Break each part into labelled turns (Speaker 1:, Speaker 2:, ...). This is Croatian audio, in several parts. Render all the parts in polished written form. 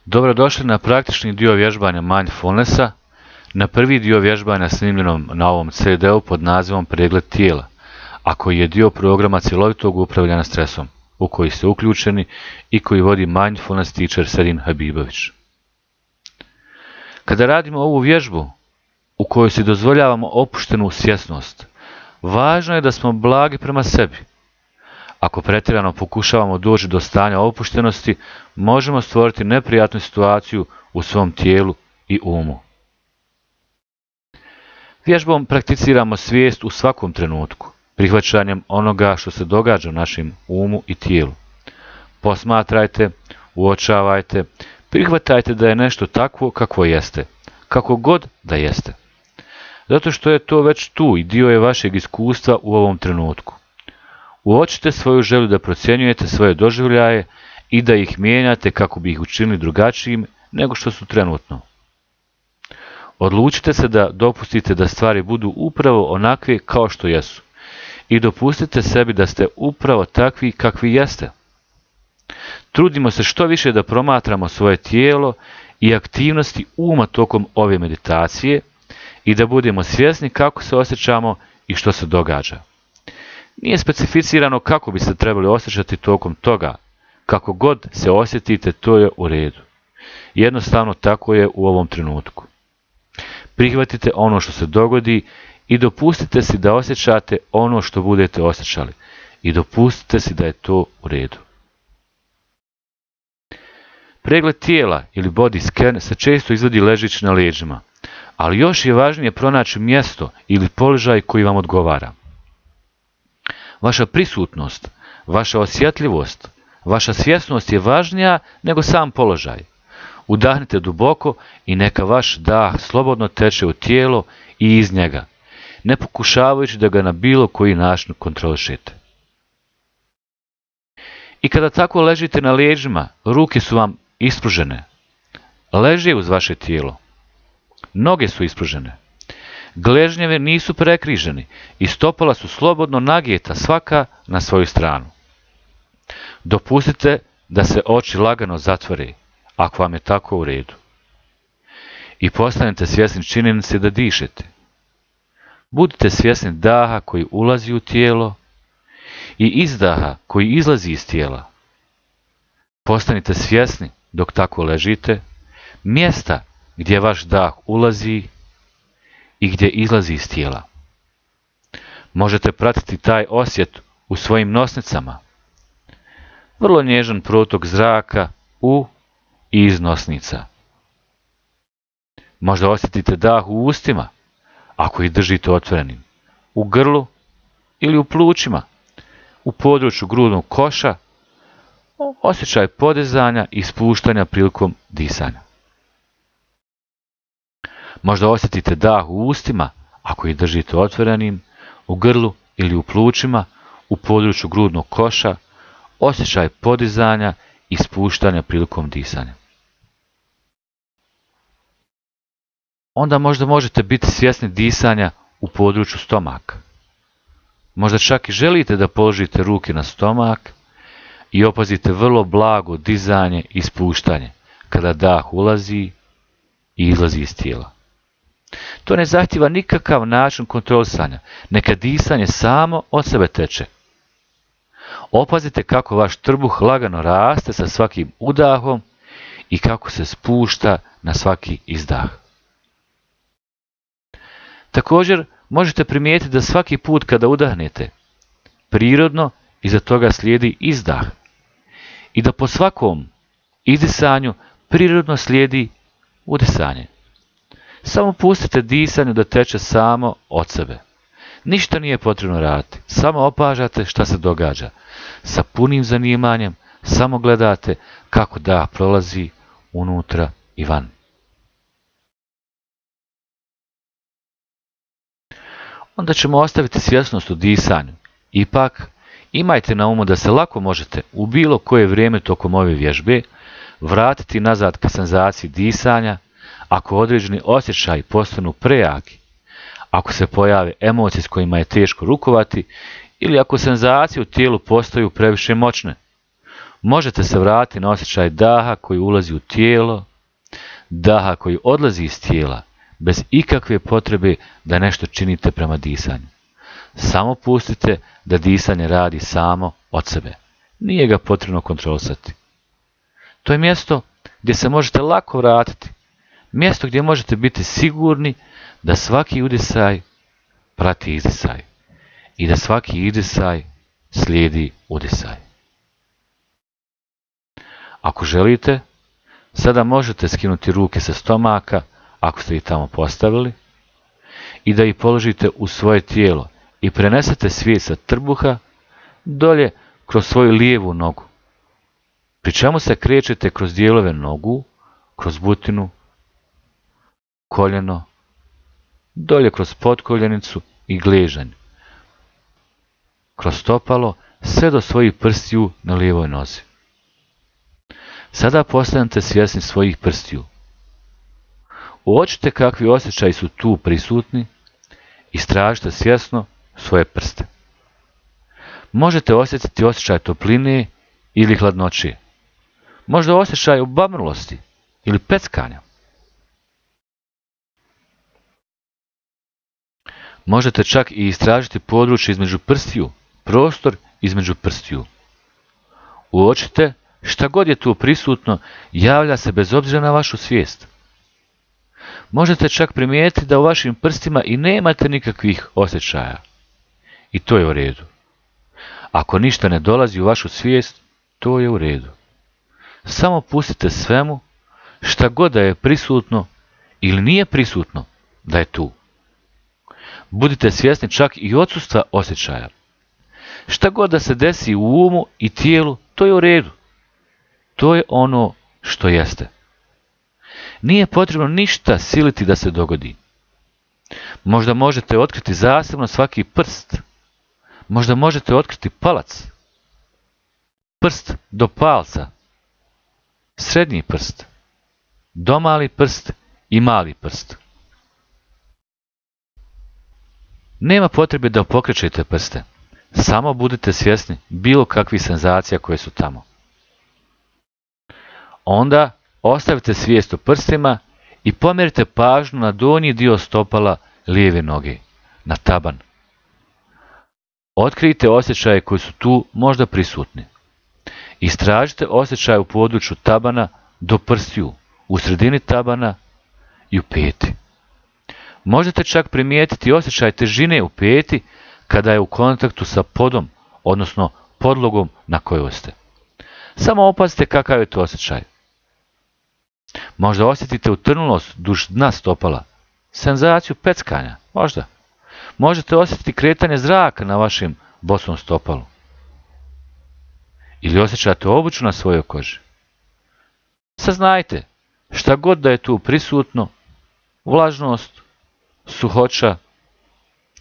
Speaker 1: Dobrodošli na praktični dio vježbanja mindfulnessa, na prvi dio vježbanja snimljenom na ovom CD-u pod nazivom Pregled tijela, a koji je dio programa cjelovitog upravljanja stresom, u koji ste uključeni i koji vodi mindfulness teacher Serin Habibović. Kada radimo ovu vježbu, u kojoj si dozvoljavamo opuštenu svjesnost, važno je da smo blagi prema sebi. Ako pretjerano pokušavamo doći do stanja opuštenosti, možemo stvoriti neprijatnu situaciju u svom tijelu i umu. Vježbom prakticiramo svijest u svakom trenutku, prihvaćanjem onoga što se događa u našem umu i tijelu. Posmatrajte, uočavajte, prihvatajte da je nešto takvo kakvo jeste, kako god da jeste. Zato što je to već tu i dio je vašeg iskustva u ovom trenutku. Uočite svoju želju da procjenjujete svoje doživljaje i da ih mijenjate kako bi ih učinili drugačijim nego što su trenutno. Odlučite se da dopustite da stvari budu upravo onakve kao što jesu i dopustite sebi da ste upravo takvi kakvi jeste. Trudimo se što više da promatramo svoje tijelo i aktivnosti uma tokom ove meditacije i da budemo svjesni kako se osjećamo i što se događa. Nije specificirano kako bi se trebali osjećati tokom toga. Kako god se osjetite, to je u redu. Jednostavno tako je u ovom trenutku. Prihvatite ono što se dogodi i dopustite si da osjećate ono što budete osjećali. I dopustite si da je to u redu. Pregled tijela ili body scan se često izvodi ležeći na leđima, ali još je važnije pronaći mjesto ili položaj koji vam odgovara. Vaša prisutnost, vaša osjetljivost, vaša svjesnost je važnija nego sam položaj. Udahnite duboko i neka vaš dah slobodno teče u tijelo i iz njega, ne pokušavajući da ga na bilo koji način kontrolišete. I kada tako ležite na leđima, ruke su vam ispružene. Leže uz vaše tijelo. Noge su ispružene. Gležnjevi nisu prekriženi i stopala su slobodno nagijeta svaka na svoju stranu. Dopustite da se oči lagano zatvore, ako vam je tako u redu. I postanete svjesni činjenice da dišete. Budite svjesni daha koji ulazi u tijelo i izdaha koji izlazi iz tijela. Postanite svjesni dok tako ležite, mjesta gdje vaš dah ulazi i gdje izlazi iz tijela. Možete pratiti taj osjet u svojim nosnicama. Vrlo nježan protok zraka u i iz nosnica. Možda osjetite dah u ustima, ako ih držite otvorenim, u grlu ili u plućima, u području grudnog koša, osjećaj podizanja i spuštanja prilikom disanja. Možda osjetite dah u ustima, ako ih držite otvorenim, u grlu ili u plućima, u području grudnog koša, osjećaj podizanja i spuštanja prilikom disanja. Onda možda možete biti svjesni disanja u području stomaka. Možda čak i želite da položite ruke na stomak i opazite vrlo blago dizanje i spuštanje kada dah ulazi i izlazi iz tijela. To ne zahtijeva nikakav način kontrolisanja, neka disanje samo od sebe teče. Opazite kako vaš trbuh lagano raste sa svakim udahom i kako se spušta na svaki izdah. Također možete primijetiti da svaki put kada udahnete, prirodno iza toga slijedi izdah i da po svakom izdisanju prirodno slijedi udisanje. Samo pustite disanju da teče samo od sebe. Ništa nije potrebno raditi, samo opažate šta se događa. Sa punim zanimanjem samo gledate kako dah prolazi unutra i van. Onda ćemo ostaviti svjesnost u disanju. Ipak, imajte na umu da se lako možete u bilo koje vrijeme tokom ove vježbe vratiti nazad ka senzaciji disanja ako određeni osjećaji postanu prejaki, ako se pojave emocije s kojima je teško rukovati ili ako senzacije u tijelu postaju previše moćne. Možete se vratiti na osjećaj daha koji ulazi u tijelo, daha koji odlazi iz tijela, bez ikakve potrebe da nešto činite prema disanju. Samo pustite da disanje radi samo od sebe. Nije ga potrebno kontrolisati. To je mjesto gdje se možete lako vratiti. Mjesto gdje možete biti sigurni da svaki udisaj prati izdisaj i da svaki izdisaj slijedi udisaj. Ako želite, sada možete skinuti ruke sa stomaka, ako ste ih tamo postavili, i da ih položite u svoje tijelo i prenesete svijest sa trbuha dolje kroz svoju lijevu nogu, pri čemu se krećete kroz dijelove nogu, kroz butinu, koljeno, dolje kroz potkoljenicu i gležanj, kroz stopalo, sve do svojih prstiju na lijevoj nozi. Sada postanete svjesni svojih prstiju. Uočite kakvi osjećaji su tu prisutni, istražite svjesno svoje prste. Možete osjetiti osjećaj topline ili hladnoće, možda osjećaj obamrlosti ili peckanja. Možete čak i istražiti područje između prstiju, prostor između prstiju. Uočite šta god je tu prisutno, javlja se bez obzira na vašu svijest. Možete čak primijetiti da u vašim prstima i nemate nikakvih osjećaja. I to je u redu. Ako ništa ne dolazi u vašu svijest, to je u redu. Samo pustite svemu, šta god da je prisutno ili nije prisutno, da je tu. Budite svjesni čak i odsustva osjećaja. Šta god da se desi u umu i tijelu, to je u redu. To je ono što jeste. Nije potrebno ništa siliti da se dogodi. Možda možete otkriti zasebno svaki prst. Možda možete otkriti palac. Prst do palca. Srednji prst. Domali prst i mali prst. Nema potrebe da pokrećete prste. Samo budite svjesni bilo kakvih senzacija koje su tamo. Onda ostavite svijest o prstima i pomjerite pažnju na donji dio stopala lijeve noge, na taban. Otkrijte osjećaje koji su tu možda prisutni. Istražite osjećaje u području tabana do prstiju, u sredini tabana i u peti. Možete čak primijetiti osjećaj težine u peti kada je u kontaktu sa podom, odnosno podlogom na kojoj ste. Samo opazite kakav je to osjećaj. Možda osjetite utrnulost duž dna stopala, senzaciju peckanja, možda. Možete osjetiti kretanje zraka na vašem bosom stopalu. Ili osjećate obuću na svojoj koži. Saznajte, šta god da je tu prisutno, vlažnost, suhoća,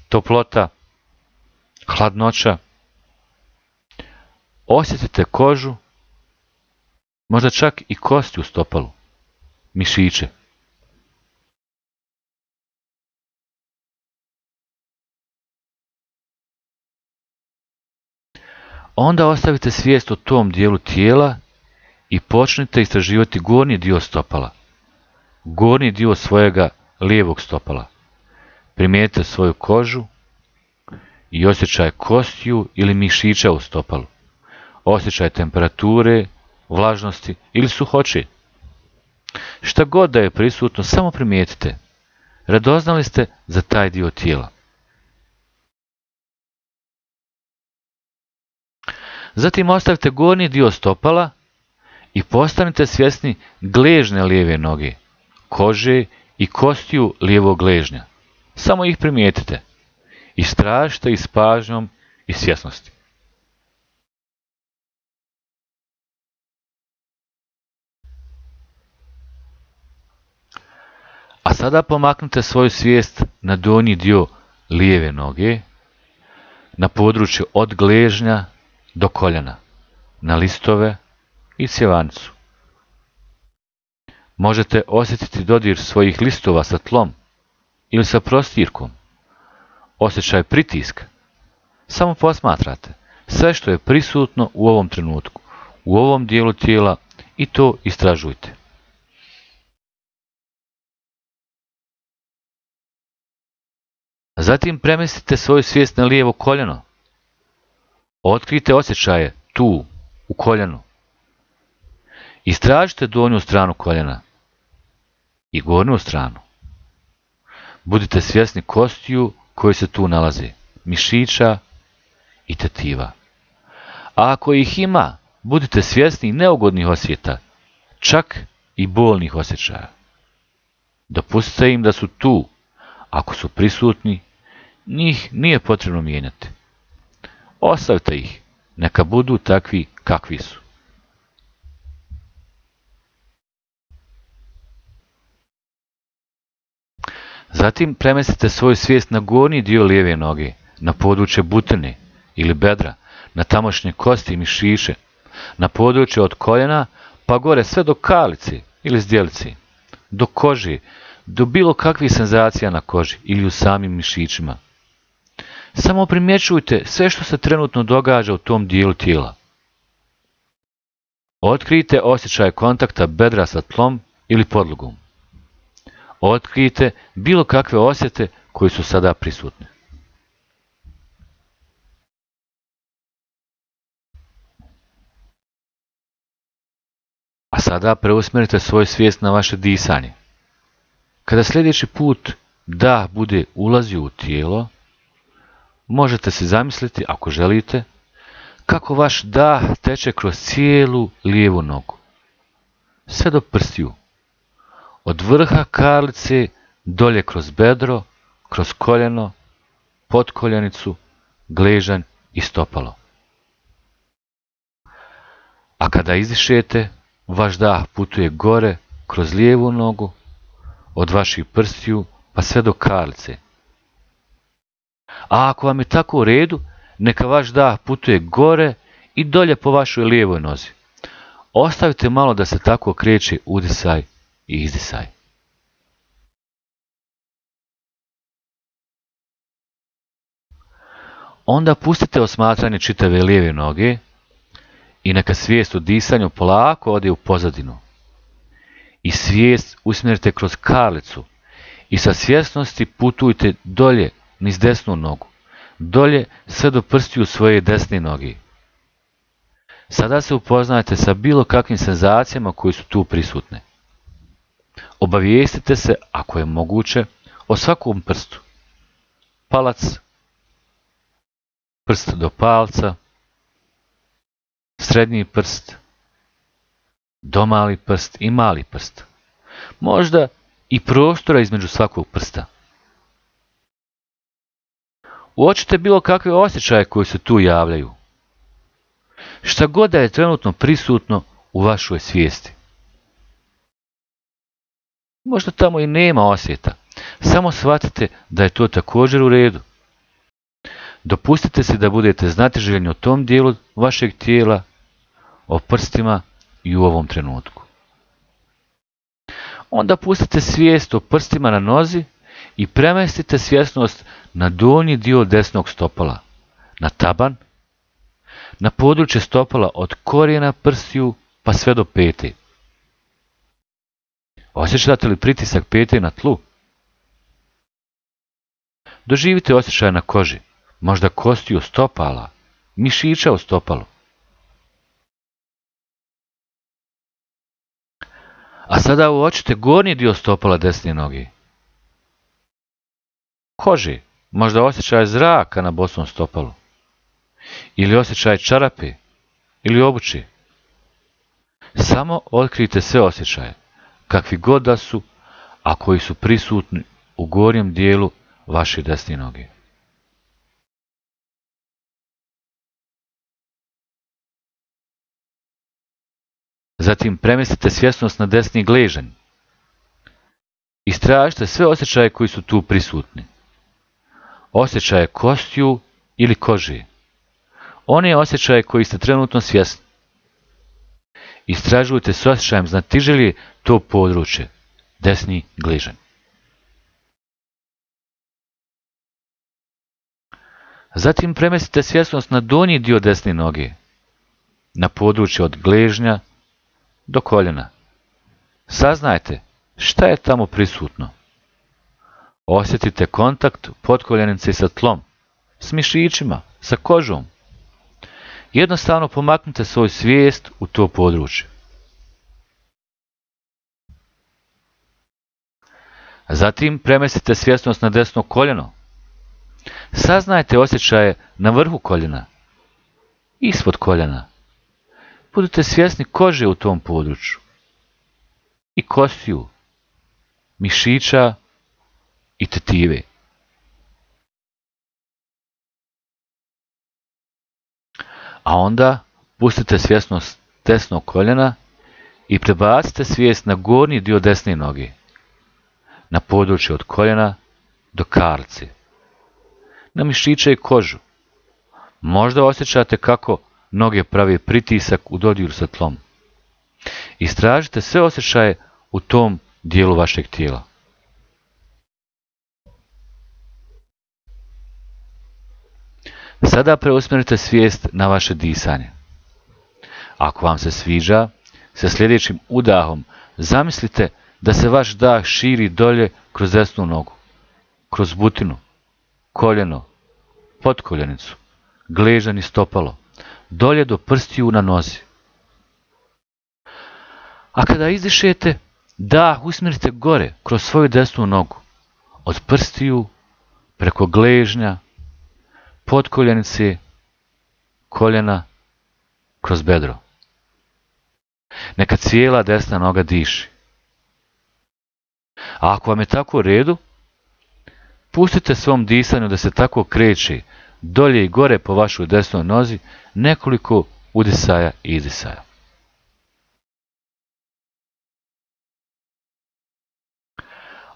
Speaker 1: toplota, hladnoća. Osjetite kožu, možda čak i kosti u stopalu, mišiće. Onda ostavite svijest o tom dijelu tijela i počnite istraživati gornji dio stopala, gornji dio svojega lijevog stopala. Primijetite svoju kožu i osjećaj kostiju ili mišića u stopalu, osjećaj temperature, vlažnosti ili suhoće. Šta god da je prisutno, samo primijetite. Radoznali ste za taj dio tijela. Zatim ostavite gornji dio stopala i postanite svjesni gležnja lijeve noge, kože i kostiju lijevog gležnja. Samo ih primijetite. Istražite ih s pažnjom i svjesnosti. A sada pomaknite svoju svijest na donji dio lijeve noge, na područje od gležnja do koljena, na listove i cjevanicu. Možete osjetiti dodir svojih listova sa tlom ili sa prostirkom, osjećaj pritiska. Samo posmatrate sve što je prisutno u ovom trenutku. u ovom dijelu tijela i to istražujte. Zatim premestite svoju svijest na lijevo koljeno. Otkrijte osjećaje tu, u koljenu. Istražite donju stranu koljena i gornju stranu. Budite svjesni kostiju koji se tu nalaze, mišića i tetiva. A ako ih ima, budite svjesni neugodnih osjeta, čak i bolnih osjećaja. Dopustite im da su tu. Ako su prisutni, njih nije potrebno mijenjati. Ostavite ih, neka budu takvi kakvi su. Zatim premestite svoju svijest na gornji dio lijeve noge, na područje butine ili bedra, na tamošnje kosti i mišiće, na područje od koljena pa gore sve do kalice ili zdjelice, do kože, do bilo kakvih senzacija na koži ili u samim mišićima. Samo primjećujte sve što se trenutno događa u tom dijelu tijela. Otkrijte osjećaj kontakta bedra sa tlom ili podlogom. Otkrijte bilo kakve osjete koji su sada prisutni. A sada preusmjerite svoju svijest na vaše disanje. Kada sljedeći put dah bude ulazio u tijelo, možete si zamisliti, ako želite, kako vaš dah teče kroz cijelu lijevu nogu, sve do prstiju, od vrha karlice dolje kroz bedro, kroz koljeno, potkoljenicu, gležanj i stopalo. A kada izdišete, vaš dah putuje gore kroz lijevu nogu, od vaših prstiju pa sve do karlice. A ako vam je tako u redu, neka vaš dah putuje gore i dolje po vašoj lijevoj nozi. Ostavite malo da se tako kreće udisaj i izdisaj. Onda pustite osmatranje čitave lijeve noge i neka svijest o disanju polako ode u pozadinu. I svijest usmjerite kroz karlicu i sa svjesnosti putujte dolje niz desnu nogu, dolje sve do prstiju svoje desne noge. Sada se upoznajte sa bilo kakvim senzacijama koje su tu prisutne. Obavijestite se, ako je moguće, o svakom prstu. Palac, prst do palca, srednji prst, domali prst i mali prst. Možda i prostora između svakog prsta. Uočite bilo kakve osjećaje koji se tu javljaju. Šta god da je trenutno prisutno u vašoj svijesti. Možda tamo i nema osjeta, samo shvatite da je to također u redu. Dopustite si da budete znatiželjni o tom dijelu vašeg tijela, o prstima i u ovom trenutku. Onda pustite svijest o prstima na nozi i premestite svjesnost na donji dio desnog stopala, na taban, na područje stopala od korijena prstiju pa sve do pete. Osjećate li pritisak pete na tlu? Doživite osjećaj na koži, možda kostiju stopala, mišića u stopalu. A sada uočite gornji dio stopala desne noge. Koži, možda osjećaj zraka na bosom stopalu. Ili osjećaj čarape, ili obuće. Samo otkrijte sve osjećaje, kakvi god da su, a koji su prisutni u gornjem dijelu vaše desne noge. Zatim premestite svjesnost na desni gležanj. Istražite sve osjećaje koji su tu prisutni. Osjećaje kostiju ili kože. One osjećaje koji ste trenutno svjesni. Istražujte s osjećajem znatiželje to područje, desni gležanj. Zatim premestite svjesnost na donji dio desne noge, na područje od gležnja do koljena. Saznajte šta je tamo prisutno. Osjetite kontakt potkoljenice sa tlom, s mišićima, sa kožom. Jednostavno pomaknite svoju svijest u to područje. Zatim premestite svjesnost na desno koljeno. Saznajte osjećaje na vrhu koljena, ispod koljena. Budite svjesni kože u tom području, i kostiju, mišića i tetive. A onda pustite svjesnost desnog koljena i prebacite svijest na gornji dio desne noge, na područje od koljena do karlice, na mišiće i kožu. Možda osjećate kako noge prave pritisak u dodiru sa tlom. Istražite sve osjećaje u tom dijelu vašeg tijela. Sada preusmjerite svijest na vaše disanje. Ako vam se sviđa, sa sljedećim udahom zamislite da se vaš dah širi dolje kroz desnu nogu, kroz butinu, koljeno, potkoljenicu, gležanj i stopalo, dolje do prstiju na nozi. A kada izdišete, dah usmjerite gore kroz svoju desnu nogu, od prstiju, preko gležnja, potkoljenice, koljena, kroz bedro. Neka cijela desna noga diši. A ako vam je tako u redu, pustite svom disanju da se tako kreće dolje i gore po vašoj desnoj nozi nekoliko udisaja i izdisaja.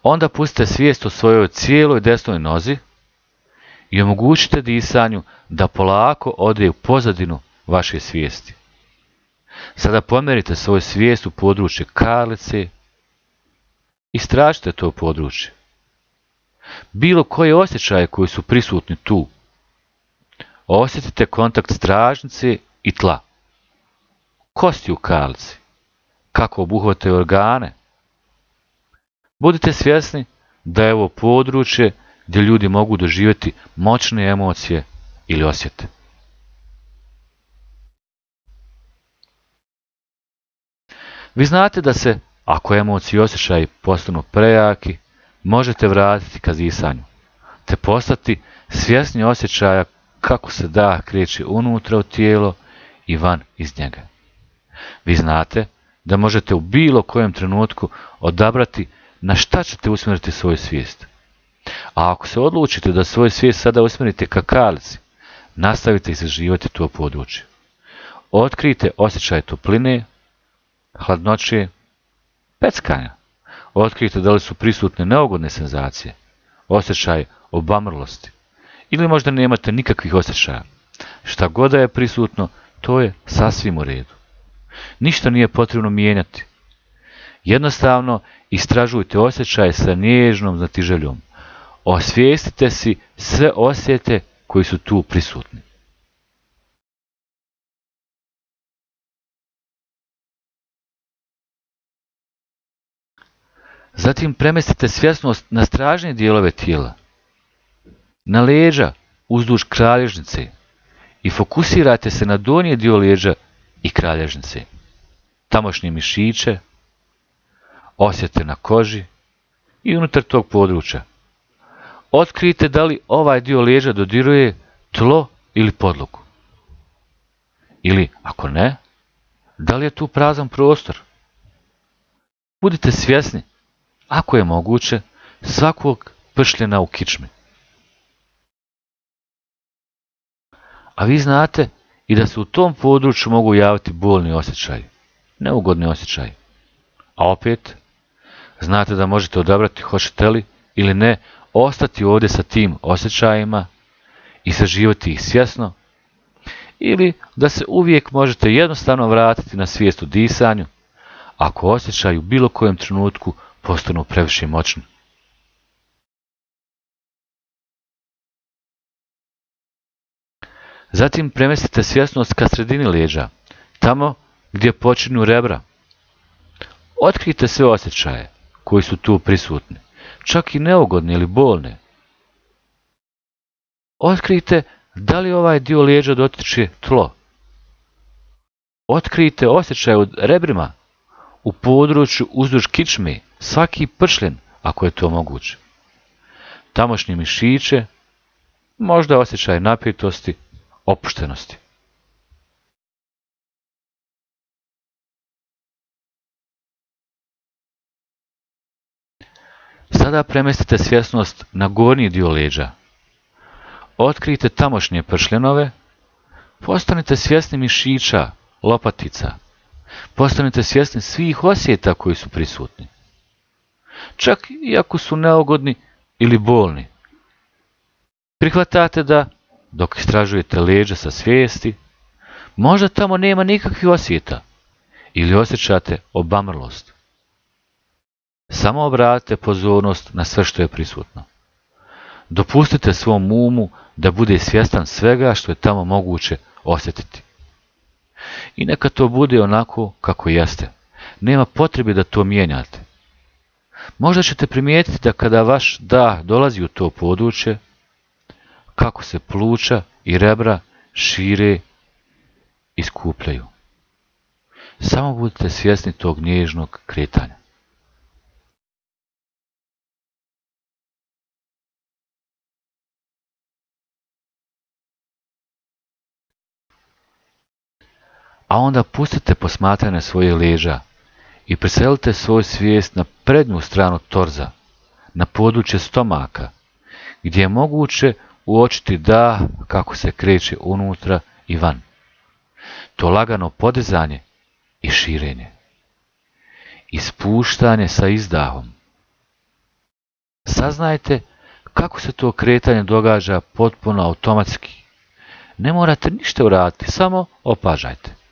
Speaker 1: Onda pustite svijest o svojoj cijeloj desnoj nozi i omogućite disanju da polako ode u pozadinu vaše svijesti. Sada pomjerite svoju svijest u područje karlice, istražite to područje. Bilo koje osjećaje koji su prisutni tu. Osjetite kontakt stražnice i tla. Kosti u karlici, kako obuhvataju organe. Budite svjesni da je ovo područje gdje ljudi mogu doživjeti moćne emocije ili osjete. Vi znate da se, ako emocije i osjećaji postanu prejaki, možete vratiti ka disanju, te postati svjesni osjećaja kako se dah kreće unutra u tijelo i van iz njega. Vi znate da možete u bilo kojem trenutku odabrati na šta ćete usmjeriti svoju svijest. A ako se odlučite da svoju svijest sada usmjerite ka karlici, nastavite istraživati to područje. Otkrijte osjećaj topline, hladnoće, peckanja. Otkrijte da li su prisutne neugodne senzacije, osjećaj obamrlosti, ili možda nemate nikakvih osjećaja. Šta god da je prisutno, to je sasvim u redu. Ništa nije potrebno mijenjati. Jednostavno istražujte osjećaje sa nježnom znatiželjom. Osvijestite si sve osjete koji su tu prisutni. Zatim premestite svjesnost na stražnje dijelove tijela, na leđa uzduž kralježnice i fokusirajte se na donji dio leđa i kralježnice, tamošnje mišiće, osjete na koži i unutar tog područja. Otkrijte da li ovaj dio leđa dodiruje tlo ili podlogu. Ili, ako ne, da li je tu prazan prostor. Budite svjesni, ako je moguće, svakog pršljena u kičmi. A vi znate i da se u tom području mogu javiti bolni osjećaji, neugodni osjećaji. A opet, znate da možete odabrati hoćete li ili ne ostati ovdje sa tim osjećajima i saživati ih svjesno, ili da se uvijek možete jednostavno vratiti na svijest o disanju, ako osjećaju u bilo kojem trenutku postanu previše moćni. Zatim premestite svjesnost ka sredini leđa, tamo gdje počinju rebra. Otkrijte sve osjećaje koji su tu prisutni, čak i neugodne ili bolne. Otkrijte da li ovaj dio leđa dotiče tlo. Otkrijte osjećaje u rebrima, u području uzduž kičme, svaki pršljen, ako je to moguće. Tamošnje mišiće, možda osjećaj napetosti, opuštenosti. Sada premestite svjesnost na gornji dio leđa. Otkrijte tamošnje pršljenove, postanite svjesni mišića, lopatica. Postanite svjesni svih osjeta koji su prisutni. Čak i ako su neugodni ili bolni. Prihvatate da, dok istražujete leđa sa svijesti, možda tamo nema nikakvih osjeta ili osjećate obamrlost. Samo obratite pozornost na sve što je prisutno. Dopustite svom umu da bude svjestan svega što je tamo moguće osjetiti. I neka to bude onako kako jeste. Nema potrebe da to mijenjate. Možda ćete primijetiti da kada vaš dah dolazi u to područje, kako se pluća i rebra šire i skupljaju. Samo budite svjesni tog nježnog kretanja. A onda pustite posmatranje svoje leđa i preselite svoju svijest na prednju stranu torza, na područje stomaka, gdje je moguće uočiti dah kako se kreće unutra i van. To lagano podizanje i širenje. Ispuštanje sa izdahom. Saznajte kako se to kretanje događa potpuno automatski. Ne morate ništa uraditi, samo opažajte.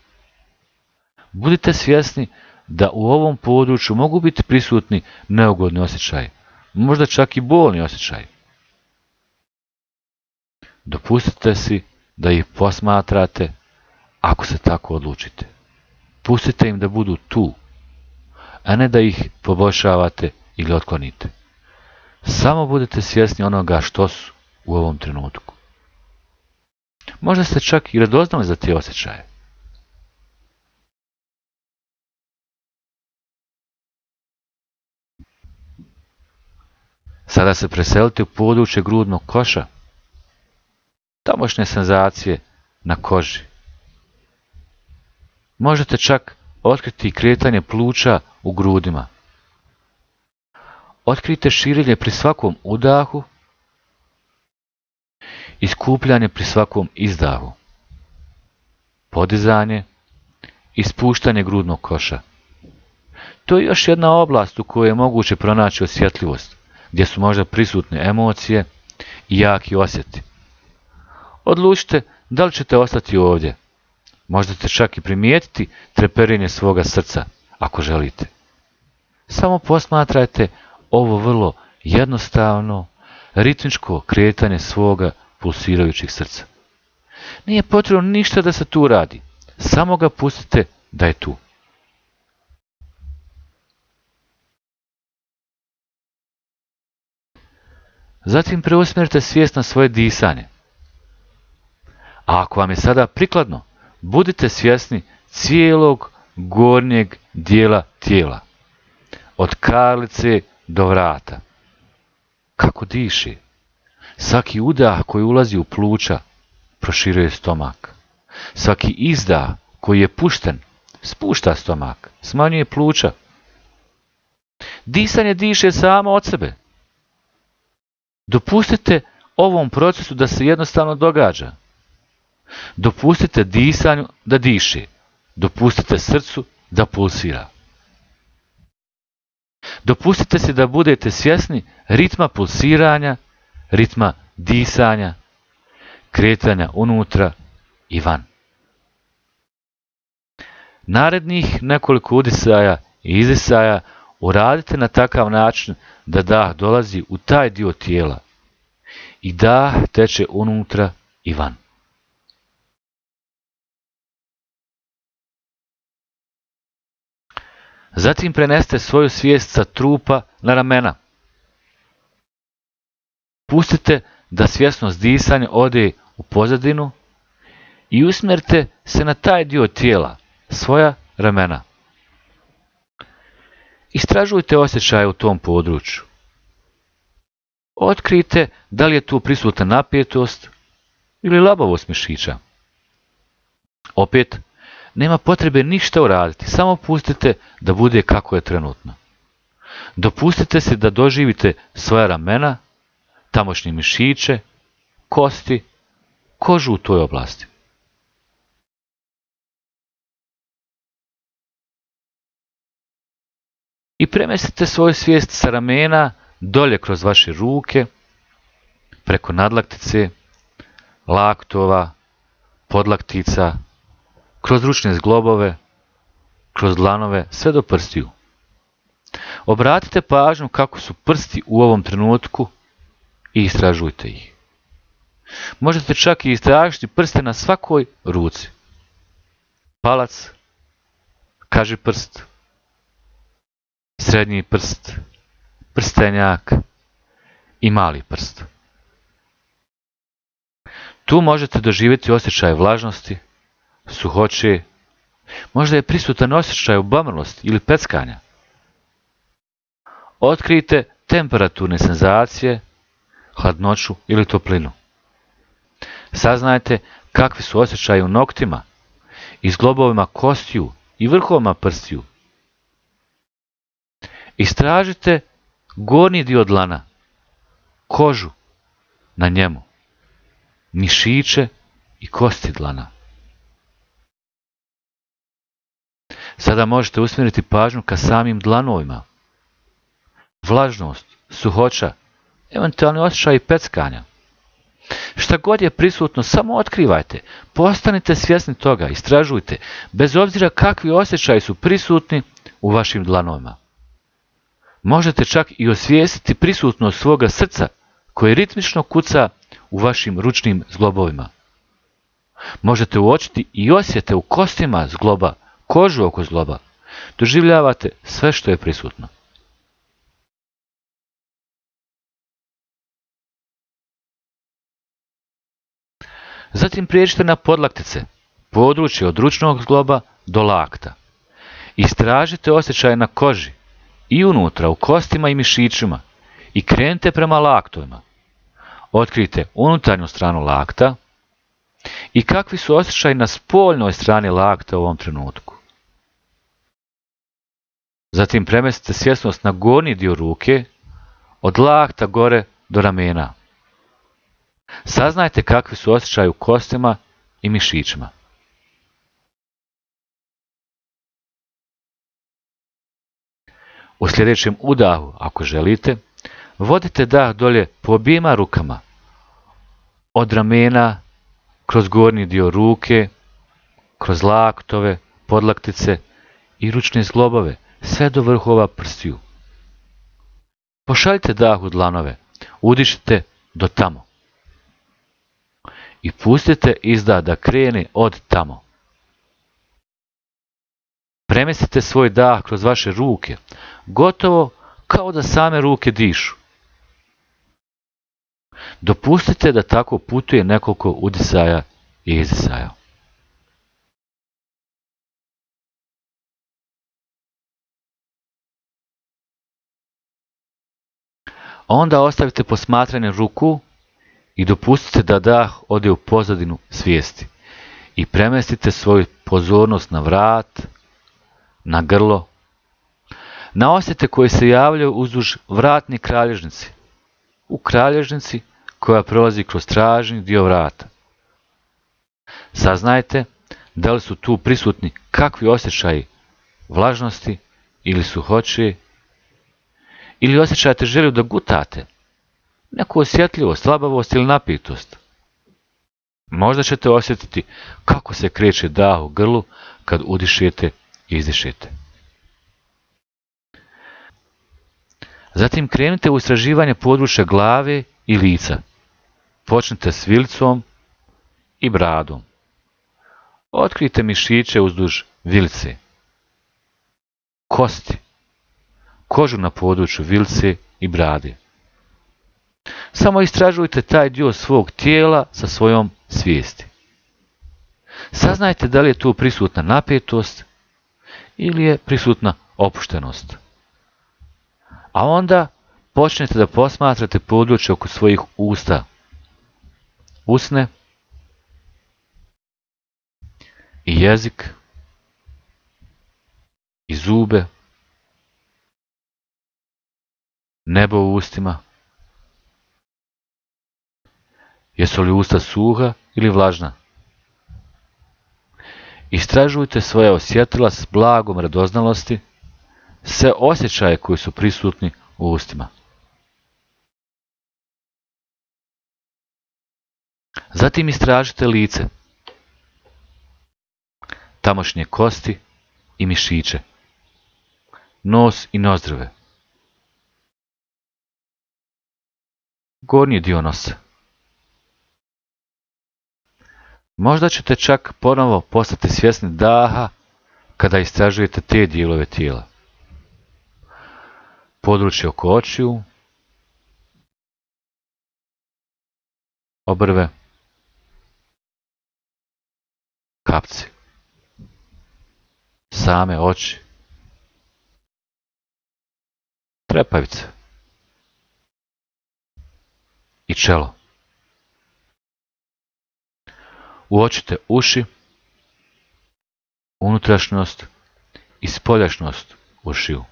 Speaker 1: Budite svjesni da u ovom području mogu biti prisutni neugodni osjećaji, možda čak i bolni osjećaji. Dopustite si da ih posmatrate ako se tako odlučite. Pustite im da budu tu, a ne da ih poboljšavate ili otklonite. Samo budite svjesni onoga što su u ovom trenutku. Možda ste čak i radoznali za te osjećaje. Sada se preselite u područje grudnog koša. Tamošnje senzacije na koži. Možete čak otkriti kretanje pluća u grudima. Otkrijte širenje pri svakom udahu i skupljanje pri svakom izdahu. Podizanje i spuštanje grudnog koša. To je još jedna oblast u kojoj je moguće pronaći osjetljivost, gdje su možda prisutne emocije i jaki osjeti. Odlučite da li ćete ostati ovdje. Možda ćete čak i primijetiti treperenje svoga srca, ako želite. Samo posmatrajte ovo vrlo jednostavno, ritmičko kretanje svoga pulsirajućeg srca. Nije potrebno ništa da se tu radi, samo ga pustite da je tu. Zatim preusmjerite svijest na svoje disanje. A ako vam je sada prikladno, budite svjesni cijelog gornjeg dijela tijela, od karlice do vrata. Kako diše. Svaki udah koji ulazi u pluća proširuje stomak. Svaki izdah koji je pušten spušta stomak, smanjuje pluća. Disanje diše samo od sebe. Dopustite ovom procesu da se jednostavno događa. Dopustite disanju da diše. Dopustite srcu da pulsira. Dopustite se da budete svjesni ritma pulsiranja, ritma disanja, kretanja unutra i van. Narednih nekoliko udisaja i izdisaja uradite na takav način da dah dolazi u taj dio tijela i dah teče unutra i van. Zatim prenesite svoju svijest sa trupa na ramena. Pustite da svjesnost disanja ode u pozadinu i usmjerite se na taj dio tijela, svoja ramena. Istražujte osjećaje u tom području. Otkrijte da li je tu prisutna napetost ili labavost mišića. Opet, nema potrebe ništa uraditi, samo pustite da bude kako je trenutno. Dopustite se da doživite svoja ramena, tamošnje mišiće, kosti, kožu u toj oblasti. I premestite svoju svijest sa ramena dolje kroz vaše ruke, preko nadlaktice, laktova, podlaktica, kroz ručne zglobove, kroz dlanove, sve do prstiju. Obratite pažnju kako su prsti u ovom trenutku i istražujte ih. Možete čak i istražiti prste na svakoj ruci. Palac, kažiprst, srednji prst, prstenjak i mali prst. Tu možete doživjeti osjećaj vlažnosti, suhoće, možda je prisutan osjećaj obamrlosti ili peckanja. Otkrijte temperaturne senzacije, hladnoću ili toplinu. Saznajte kakvi su osjećaji u noktima i zglobovima kostiju i vrhovima prstiju. Istražite gornji dio dlana, kožu na njemu, mišiće i kosti dlana. Sada možete usmjeriti pažnju ka samim dlanovima. Vlažnost, suhoća, eventualni osjećaj peckanja. Šta god je prisutno, samo otkrivajte, postanite svjesni toga, istražujte, bez obzira kakvi osjećaji su prisutni u vašim dlanovima. Možete čak i osvijestiti prisutnost svoga srca koje ritmično kuca u vašim ručnim zglobovima. Možete uočiti i osjete u kostima zgloba, kožu oko zgloba. Doživljavate sve što je prisutno. Zatim prijeđite na podlaktice, područje od ručnog zgloba do lakta. Istražite osjećaje na koži i unutra u kostima i mišićima i krenite prema laktovima. Otkrijte unutarnju stranu lakta i kakvi su osjećaji na spoljnoj strani lakta u ovom trenutku. Zatim premestite svjesnost na gornji dio ruke, od lakta gore do ramena. Saznajte kakvi su osjećaji u kostima i mišićima. U sljedećem udahu, ako želite, vodite dah dolje po objema rukama, od ramena, kroz gornji dio ruke, kroz laktove, podlaktice i ručne zglobove, sve do vrhova prstiju. Pošaljite dah u dlanove, udišite do tamo. I pustite izdah da krene od tamo. Premestite svoj dah kroz vaše ruke, gotovo kao da same ruke dišu. Dopustite da tako putuje nekoliko udisaja i izdisaja. Onda ostavite posmatranje ruku i dopustite da dah ode u pozadinu svijesti i premestite svoju pozornost na vrat, na grlo, na osjete koje se javljaju uzduž vratne kralježnice, u kralježnici koja prolazi kroz stražni dio vrata. Saznajte da li su tu prisutni kakvi osjećaji vlažnosti ili suhoće, ili osjećate želju da gutate, neku osjetljivost, slabavost ili napetost. Možda ćete osjetiti kako se kreće dah u grlu kad udišete i izdišete. Zatim krenite u istraživanje područja glave i lica. Počnite s vilicom i bradom. Otkrijte mišiće uzduž vilice, kosti, kožu na području vilice i brade. Samo istražujte taj dio svog tijela sa svojom svijesti. Saznajte da li je tu prisutna napetost ili je prisutna opuštenost. A onda počnete da posmatrate područje oko svojih usta, usne i jezik i zube, nebo u ustima. Jesu li usta suha ili vlažna? Istražujte svoje osjetila s blagom radoznalosti, sve osjećaje koji su prisutni u ustima. Zatim istražite lice, tamošnje kosti i mišiće, nos i nozdrve, gornji dio nosa. Možda ćete čak ponovo postati svjesni daha kada istražujete te dijelove tijela. Područje oko očiju, obrve, kapci, same oči, trepavice i čelo. Uočite uši, unutrašnjost i spoljašnjost ušiju.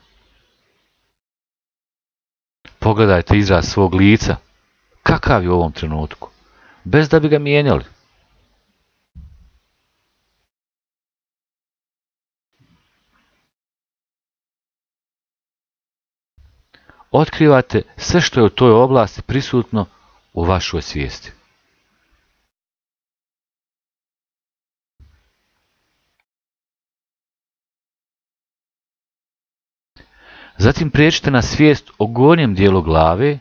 Speaker 1: Pogledajte izraz svog lica, kakav je u ovom trenutku, bez da bi ga mijenjali. Otkrivate sve što je u toj oblasti prisutno u vašoj svijesti. Zatim prijeđite na svijest o gornjem dijelu glave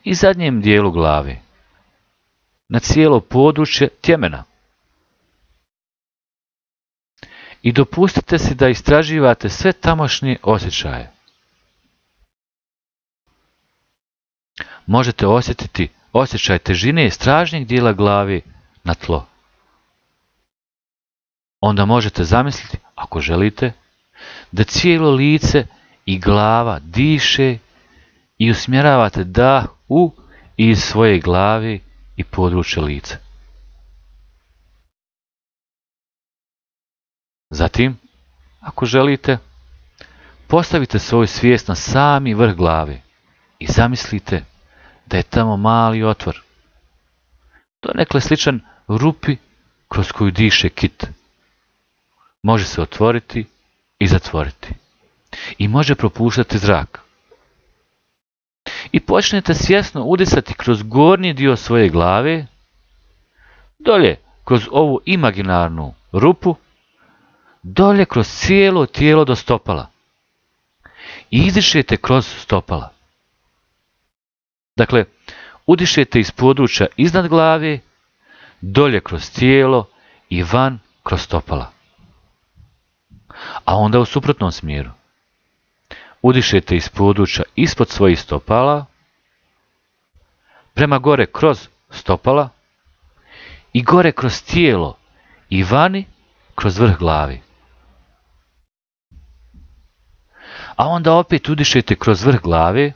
Speaker 1: i zadnjem dijelu glave, na cijelo područje tjemena. I dopustite si da istraživate sve tamošnje osjećaje. Možete osjetiti osjećaj težine stražnjeg dijela glave na tlo. Onda možete zamisliti, ako želite, da cijelo lice i glava diše i usmjeravate dah u i iz svoje glave i područja lica. Zatim, ako želite, postavite svoju svijest na sami vrh glave i zamislite da je tamo mali otvor, donekle sličan rupi kroz koju diše kit. Može se otvoriti i zatvoriti i može propuštati zrak. I počnete svjesno udisati kroz gornji dio svoje glave, dolje kroz ovu imaginarnu rupu, dolje kroz cijelo tijelo do stopala. I izdišete kroz stopala. Dakle, udišete iz područja iznad glave, dolje kroz tijelo i van kroz stopala. A onda u suprotnom smjeru. Udišete iz područja ispod svojih stopala, prema gore kroz stopala i gore kroz tijelo i vani kroz vrh glavi. A onda opet udišete kroz vrh glave,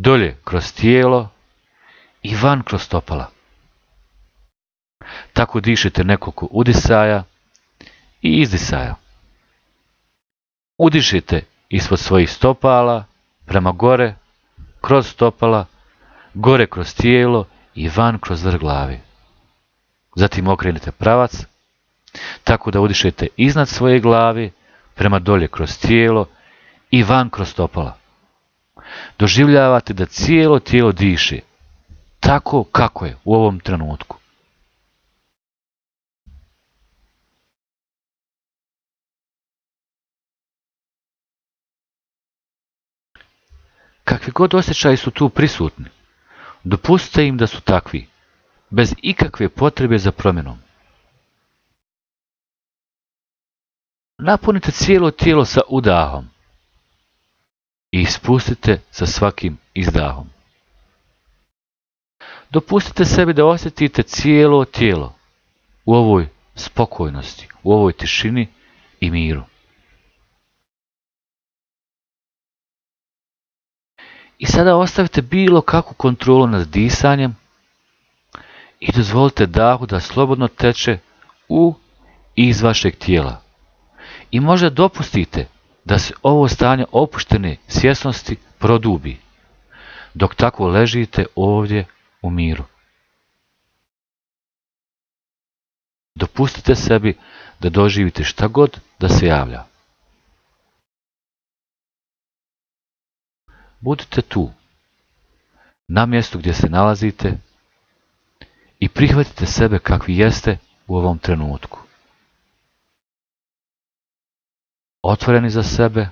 Speaker 1: dolje kroz tijelo i van kroz stopala. Tako dišete nekoliko udisaja i izdisaja. Udišite ispod svojih stopala, prema gore, kroz stopala, gore kroz tijelo i van kroz vrh glave. Zatim okrenete pravac, tako da udišete iznad svoje glave, prema dolje kroz tijelo i van kroz stopala. Doživljavate da cijelo tijelo diše, tako kako je u ovom trenutku. Kakvi god osjećaji su tu prisutni, dopustite im da su takvi, bez ikakve potrebe za promjenom. Napunite cijelo tijelo sa udahom i ispustite sa svakim izdahom. Dopustite sebi da osjetite cijelo tijelo u ovoj spokojnosti, u ovoj tišini i miru. I sada ostavite bilo kakvu kontrolu nad disanjem i dozvolite dahu da slobodno teče u i iz vašeg tijela. I možda dopustite da se ovo stanje opuštene svjesnosti produbi, dok tako ležite ovdje u miru. Dopustite sebi da doživite šta god da se javlja. Budite tu, na mjestu gdje se nalazite i prihvatite sebe kakvi jeste u ovom trenutku. Otvoreni za sebe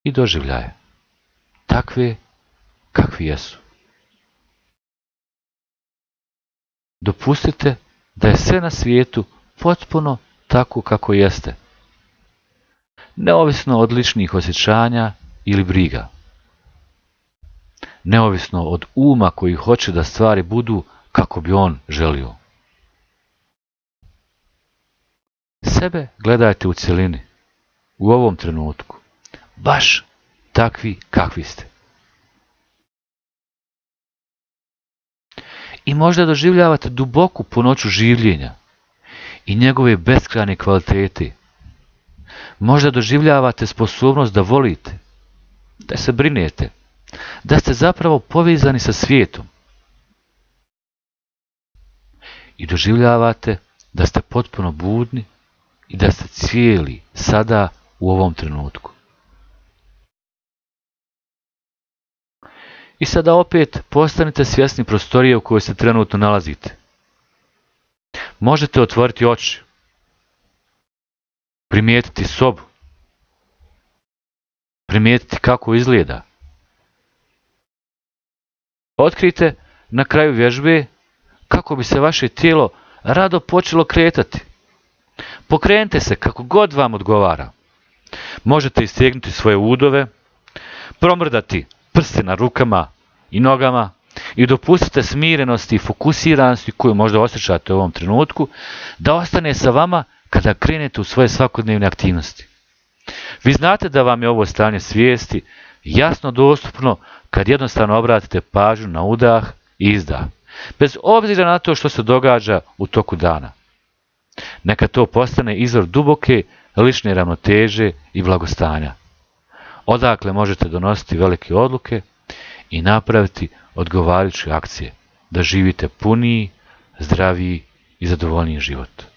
Speaker 1: i doživljaje, takve kakvi jesu. Dopustite da je sve na svijetu potpuno tako kako jeste, neovisno od ličnih osjećanja ili briga, neovisno od uma koji hoće da stvari budu kako bi on želio. Sebe gledajte u cjelini, u ovom trenutku, baš takvi kakvi ste. I možda doživljavate duboku punoću življenja i njegove beskrajne kvalitete. Možda doživljavate sposobnost da volite, da se brinete, da ste zapravo povezani sa svijetom. I doživljavate da ste potpuno budni i da ste cijeli sada u ovom trenutku. I sada opet postanite svjesni prostorije u kojoj se trenutno nalazite. Možete otvoriti oči, primijetiti sobu, primijetiti kako izgleda. Otkrijte na kraju vježbe kako bi se vaše tijelo rado počelo kretati. Pokrenite se kako god vam odgovara. Možete istegnuti svoje udove, promrdati prste na rukama i nogama i dopustite smirenosti i fokusiranosti koju možda osjećate u ovom trenutku da ostane sa vama kada krenete u svoje svakodnevne aktivnosti. Vi znate da vam je ovo stanje svijesti jasno dostupno kad jednostavno obratite pažnju na udah i izdah, bez obzira na to što se događa u toku dana. Neka to postane izvor duboke lične ravnoteže i blagostanja, odakle možete donositi velike odluke i napraviti odgovarajuće akcije da živite puniji, zdraviji i zadovoljniji život.